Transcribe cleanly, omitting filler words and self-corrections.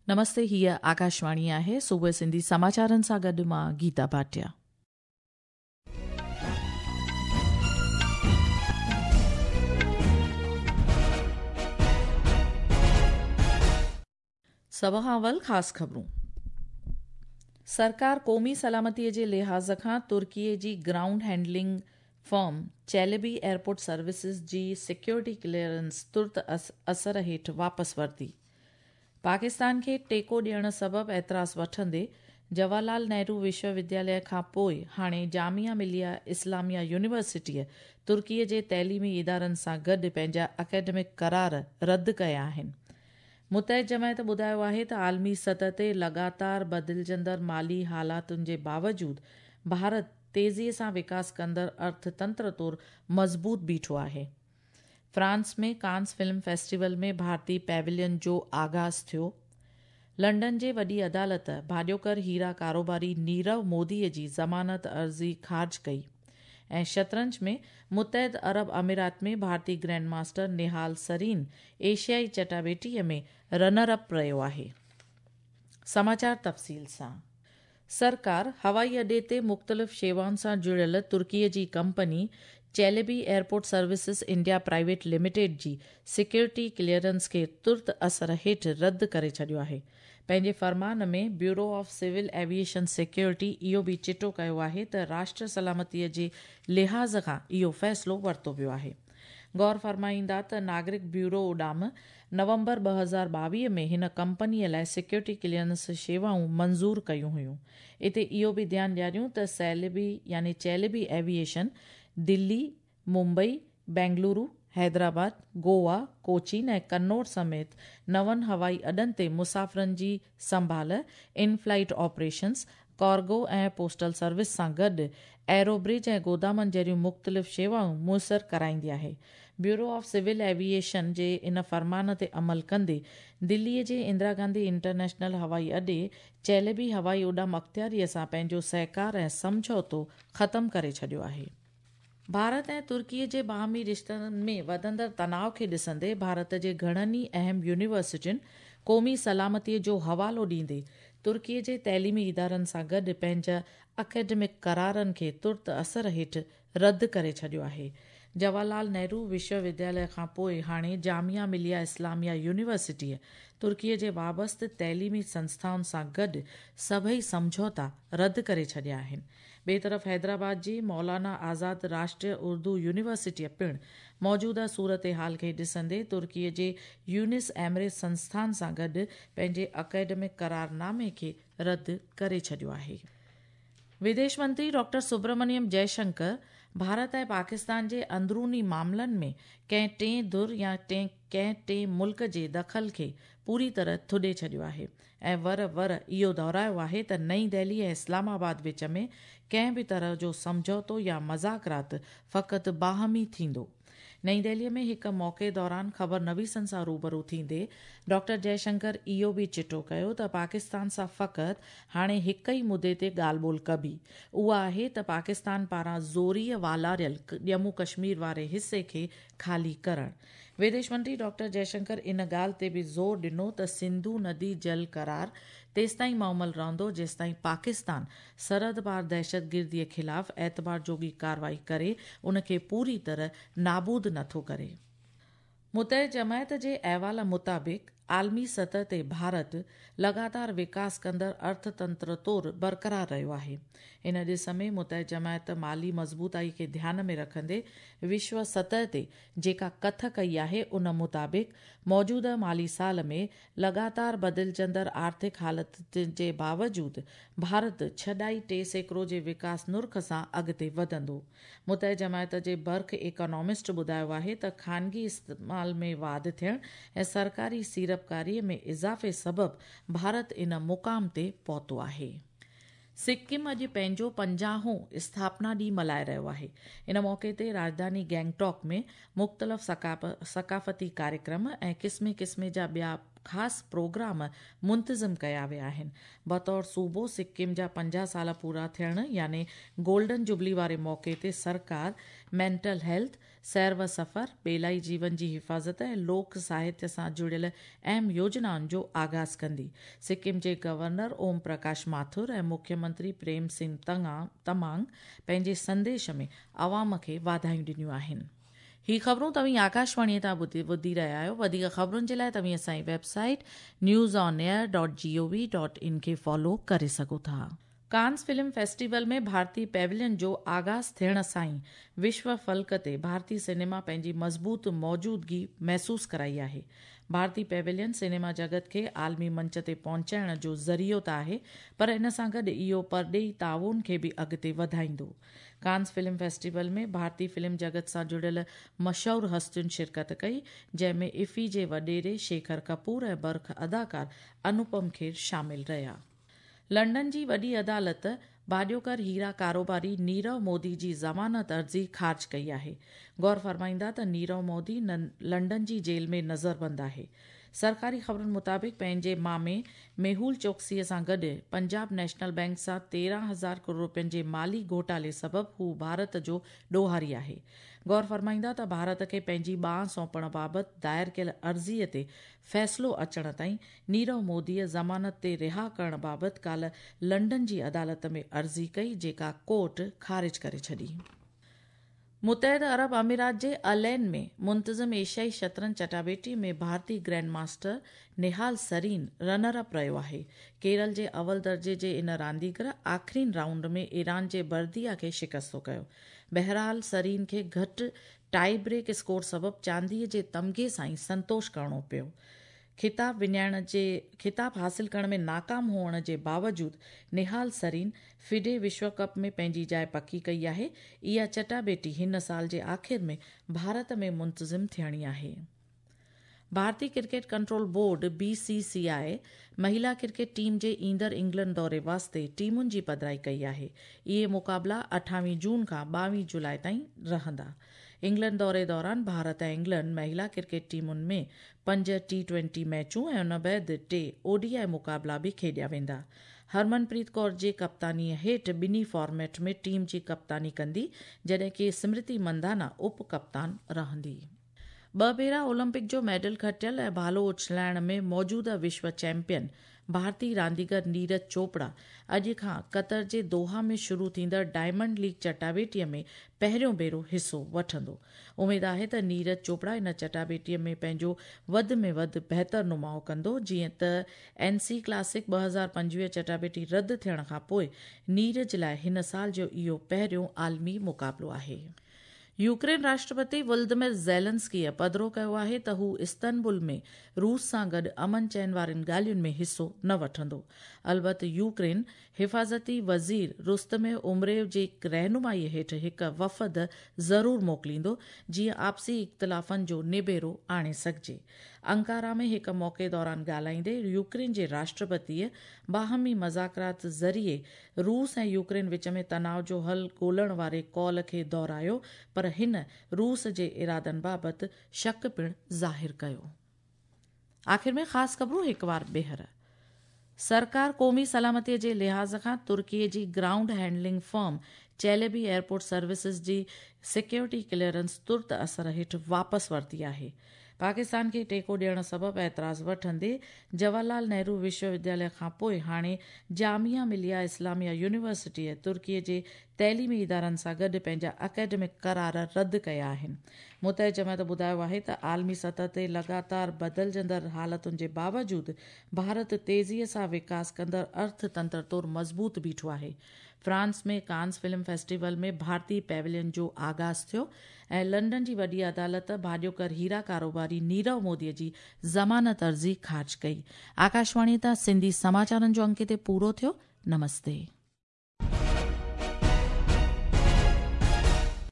نمستي هيء آڪاشواڻي آهي صبح سنڌي سماچارن سان گڏ مان گيتا ڀاٽيا. سڀ کان اول خاص خبرون. سرڪار قومي سلامتي جي لحاظ کان ترڪي جي ground handling firm Celebi airport services جي سيڪيورٽي ڪليئرنس ترت اثر هيٺ واپس ورتي. پاڪستان کي ٽيڪو ڏيڻ سبب اعتراض وٺندي جواهر لال نهرو وشو ودياليه کان پوءِ هاڻي جامعه مليه اسلاميه يونيورسٽيءَ ترڪيءَ جي تعليمي ادارن سان گڏ پنهنجا اڪيڊمڪ قرار رد ڪيا آهن. متحد جماعت ٻڌايو آهي ته عالمي سطح تي لڳاتار بدلجندڙ مالي حالاتن جي باوجود ڀارت تيزيءَ سان وڪاس ڪندڙ ارٿتنتر طور مضبوط بيٺو آهي. فرانس ۾ ڪانس فلم فيسٽيول ۾ ڀارتي پيويلين جو آغاز ٿيو. لنڊن جي وڏي عدالت ڀاڄوڪر هيرا ڪاروباري نيرو موديءَ جي ضمانت عرضي خارج ڪئي. ۽ شطرنج ۾ متحد عرب امارات ۾ ڀارتي گرينڊ ماسٽر نهال سرين ايشيائي چٽاڀيٽيءَ ۾ رنر اپ رهيو آهي. سماچار تفصيل سان. سرڪار هوائي اڏي تي مختلف شيوائن سان جڙيل ترڪيءَ جي company Celebi airport services India private limited جي سيڪيورٽي ڪليئرنس کي ترت اثر هيٺ رد ڪري ڇڏيو آهي. پنهنجي فرمان ۾ bureau of civil aviation security اهو به چٽو ڪيو آهي ته راشٽر سلامتيءَ جي لحاظ کان اهو فيصلو ورتو ويو آهي. غور فرمائيندا ته ناگرڪ بيورو اڏام نومبر 2022 ۾ هن ڪمپنيءَ لاءِ سيڪيورٽي ڪليئرنس شيوائون منظور ڪيون هيون. اتي اهو به ڌيان ڏياريون ته سيلبي يعني چيلبي ايوي ايشن دلي، ممبئي، بينگلورو، حيدرآباد، گوا، ڪوچين ۽ ڪنور سميت نون هوائي اڏن تي مسافرن جي سنڀال، in flight operations, cargo ۽ postal service سان گڏ ايرو برج ۽ گودامن جهڙيون مختلف شيوائون ميسر ڪرائيندي آهي. بيورو آف سول ايوي ايشن جي ان فرمان تي عمل ڪندي دليءَ جي اندرا گانڌي انٽرنيشنل هوائي اڏي چيلبي هوائي اڏام اختياريءَ سان پنهنجو سهڪار ۽ سمجهوتو ختم ڪري ڇڏيو آهي. ڀارت ۽ ترڪيءَ جي باهمي رشتن ۾ وڌندڙ تناءُ کي ڏسندي ڀارت جي گهڻن ئي اهم يونيورسٽين قومي سلامتيءَ جو حوالو ڏيندي ترڪيءَ جي تعليمي ادارن سان گڏ پنهنجا اڪيڊمڪ قرارن کي ترت اثر هيٺ رد ڪري ڇڏيو آهي. جواهر لال نهرو وشو ودياليه کان پوءِ هاڻي جامعه مليه اسلاميه يونيورسٽيءَ ترڪيءَ جي وابسته تعليمي سنسٿائن سان گڏ سڀئي سمجهوتا رد ڪري ڇڏيا آهن. ٻئي طرف حيدرآباد جي مولانا آزاد راشٽريه اردو يونيورسٽيءَ پڻ موجوده صورت حال کي ڏسندي ترڪيءَ جي يونس ايمري سنسٿان سان گڏ پنهنجي اڪيڊمڪ قرارنامي کي رد ڪري ڇڏيو آهي. وديش منتري ڊاڪٽر سبرمڻيم جئشنڪر ڀارت ۽ پاڪستان جي اندروني معاملن ۾ ڪنهن ٽئين ڌر يا ڪنهن ٽئين ملڪ جي دخل کي پوري طرح ٿڏي ڇڏيو آهي ۽ ور ور اهو دهرايو آهي ته نئين دهلي ۽ اسلام آباد وچ ۾ ڪنهن به طرح جو سمجهوتو يا مذاڪرات فقط باهمي ٿيندو. نئين دهليءَ ۾ هڪ موقعي دوران خبر نويسن سان روبرو ٿيندي ڊاڪٽر جئشنڪر اهو به چٽو ڪيو ته پاڪستان سان فقط هاڻي هڪ ئي مدعي تي ڳالهه ٻولهه ڪبي، اها آهي ته پاڪستان پاران زوريءَ والاريل ڄمون ڪشمير واري حصي کي خالي ڪرڻ. وديش منتري ڊاڪٽر جئشنڪر ان ڳالهه تي به زور ڏنو ته سنڌو ندي جل قرار تيستائين معمل رهندو جيستائين پاڪستان سرحد پار دهشتگرديءَ خلاف اعتبار جوڳي ڪارروائي ڪري ان کي پوري طرح نابود نٿو ڪري. متحد جماعت جي احوال مطابق عالمي سطح تي ڀارت لڳاتار وڪاس ڪندڙ ارٿتنتر طور برقرار رهيو آهي. ان ڏس ۾ متحد جماعت مالي مضبوطائي کي ڌيان ۾ رکندي وشو سطح تي جيڪا ڪٿ ڪئي آهي ان مطابق موجوده مالي سال ۾ لڳاتار بدلجندڙ آرٿڪ حالتن جي باوجود ڀارت 6.3% جي وڪاس نرخ سان اڳتي وڌندو. متحد جماعت جي برک اڪانامسٽ ٻڌايو آهي ته خانگي استعمال ۾ واڌ ٿيڻ ۽ سرڪاري سيڙپڪاريءَ ۾ اضافي سبب ڀارت ان مقام تي پهتو آهي. سڪم اڄ پنهنجو 50هون اسٿاپنا ڏينهن ملهائي رهيو آهي. ان موقعي تي راڄڌاني گينگٽاڪ ۾ مختلف ثقافتي ڪاريڪرم ۽ قسمي قسمي جا ٻيا خاص پروگرام منتظم ڪيا ويا آهن. بطور صوبو سڪم جا 50 سال پورا ٿيڻ يعني گولڊن جوبلي واري موقعي تي سرڪار مينٽل هيلٿ، سير و سفر، ٻيلائي جيون جي حفاظت ۽ لوڪ ساهتيه سان جڙيل اهم يوجنائن جو آغاز ڪندي. سڪم جي گورنر اوم پرڪاش ماٿر ۽ مکيه منتري پريم سنگهه تمانگ پنهنجي سنديش ۾ عوام کي واڌايون ڏنيون آهن. هي خبرون توهين آڪاشواڻيء تان ٻڌي رهيا آهيو. وڌيڪ خبرن جي لاء توهين اسان جي website news on air dot G O V dot in کي فالو ڪري سگهو ٿا. ڪانس فلم فيسٽيول ۾ ڀارتي پيولين جو آغاز ٿيڻ سان ئي وشو فلڪ تي ڀارتي سئنيما پنهنجي مضبوط موجودگي محسوس ڪرائي آهي. ڀارتي پيولين سئنيما جڳت کي عالمي منچ تي پهچائڻ جو ذريعو ته آهي پر ان سان گڏ اهو پرڏيهي تعاون کي به اڳتي وڌائيندو. ڪانس فلم فيسٽيول ۾ ڀارتي فلم جڳت سان جڙيل مشهور هستين شرڪت ڪئي، جنهن ۾ افي جي وڏيري شيکر ڪپور ۽ برک اداڪار انوپم کير شامل رهيا. لنڊن جي وڏي عدالت ڀاڄوڪر هيرا ڪاروباري نيرو مودي جي ضمانت عرضي خارج ڪئي آهي. غور فرمائيندا ته نيرو مودي لنڊن جي جيل ۾ نظربند آهي. سرڪاري خبرن مطابق پنهنجي مامي ميهول چوڪسي سان گڏ پنجاب نيشنل بئنڪ سان 13 هزار ڪروڙ رپين جي مالي گهوٽالي سبب هو ڀارت جو ڏوهاري آهي. غور فرمائيندا ته ڀارت کي پنهنجي ٻانهن سونپڻ بابت دائر ڪيل عرضي تي فيصلو اچڻ تائين نيرو موديء ضمانت تي رها ڪرڻ بابت ڪالهه لنڊن جي عدالت ۾ عرضي ڪئي، جيڪا ڪورٽ خارج ڪري ڇڏي. متحده عرب امارات جي العين ۾ منتظم ايشيائي شطرنج چٽاڀيٽي ۾ ڀارتي گرينڊ ماسٽر نهال سرين رنر اپ رهيو آهي. ڪيرل جي اول درجي جي ان رانديگر آخرين رائونڊ ۾ ايران جي برديا کي شڪستو ڪيو. بهرحال سرين کي گهٽ ٽائي بريڪ اسڪور سبب چانديء جي تمغي سان ئي سنتوش ڪرڻو پيو. خطاب وڃائڻ جي خطاب حاصل ڪرڻ ۾ ناڪام هئڻ جي باوجود نهال سرين فڊي وشو ڪپ ۾ پنهنجي جاء پڪي ڪئي آهي. اها چٽاڀيٽي هن سال جي آخر ۾ ڀارت ۾ منتظم ٿيڻي آهي. ڀارتي cricket control board, B C سي آء، مهيلا ڪرڪيٽ ٽيم جي ايندڙ انگلينڊ دوري واسطي ٽيمن جي پڌرائي ڪئي آهي. اهي مقابلا 28 جون کان 22 جولاء تائين رهندا. انگلينڊ دوري دوران ڀارت ۽ انگلينڊ مهيلا ڪرڪيٽ ٽيمن ۾ پنج ٽي ٽوئنٽي ميچون ۽ ان بعد ٽي او ڊي I مقابلا به کيڏيا ويندا. هرمن پريت ڪور جي ڪپتانيء هيٺ ٻنهي فارميٽ ۾ ٽيم جي ڪپتاني ڪندي، جڏهن ڪي سمرتي مندانا اپ ڪپتان رهندي. ٻه ڀيرا اولمپڪ جو ميڊل کٽيل ۽ ڀالو اڇلائڻ ۾ موجوده وشو چيمپيئن ڀارتي رانديگر نيرج چوپڙا اڄ کان قطر جي دوحا ۾ شروع ٿيندڙ ڊائمنڊ ليگ چٽاڀيٽي ۾ پهريون ڀيرو حصو وٺندو. اميد آهي ته نيرج چوپڙا ان چٽاڀيٽي ۾ پنهنجو وڌ ۾ وڌ بهتر نماء ڪندو، جيئن ته اين سي ڪلاسڪ 2025 چٽاڀيٽي رد ٿيڻ کانپوء نيرج لاء هن سال جو اهو پهريون عالمي مقابلو آهي. يوڪرين راشٽرپتي ولدمير زيلنسڪيء پڌرو ڪيو آهي ته هو استنبول ۾ روس سان گڏ امن چين وارين ڳالهين ۾ حصو نه وٺندو. البت يوڪرين حفاظتي وزير رستم عمريو جي رهنمائي هيٺ هڪ وفد ضرور موڪليندو، جيئن آپسي اختلافن جو نبيرو آڻي سگهجي. انقاره ۾ هڪ موقعي دوران ڳالهائيندي يوڪرين جي راشٽرپتيء باهمي مذاڪرات ذريعي روس ۽ يوڪرين وچ ۾ تناء جو حل ڳولڻ واري قول کي دهرايو پر هن روس جي ارادن بابت شڪ پڻ ظاهر ڪيو. آخر ۾ خاص خبرون هڪ وار ٻيهر. سرڪار قومي سلامتي جي لحاظ کان ترڪي جي ground handling firm Celebi airport services جي سيڪيورٽي ڪليئرنس ترت اثر هيٺ واپس ورتي آهي. پاڪستان کي ٽيڪو ڏيڻ سبب اعتراض وٺندي جواهر لال نهرو وشو ودياليه کانپوء هاڻي جامعه مليه اسلاميه يونيورسٽيء ترڪي جي تعليمي ادارن سان گڏ پنهنجا اڪيڊمڪ قرار رد ڪيا آهن. متحده جماعت ٻڌايو آهي ته عالمي سطح تي لڳاتار بدلجندڙ حالتن جي باوجود ڀارت تيزيء سان وڪاس ڪندڙ ارٿ تنتر طور مضبوط بيٺو آهي. فرانس ۾ ڪانس فلم فيسٽيول ۾ ڀارتي پيولين جو آغاز ٿيو ۽ لنڊن جي وڏي عدالت ڀاڄوڪر هيرا ڪاروباري نيرو مودي جي ضمانت عرضي خارج ڪئي. آڪاشواڻي تان سنڌي سماچارن جو انڪ هتي پورو ٿيو. نمستي.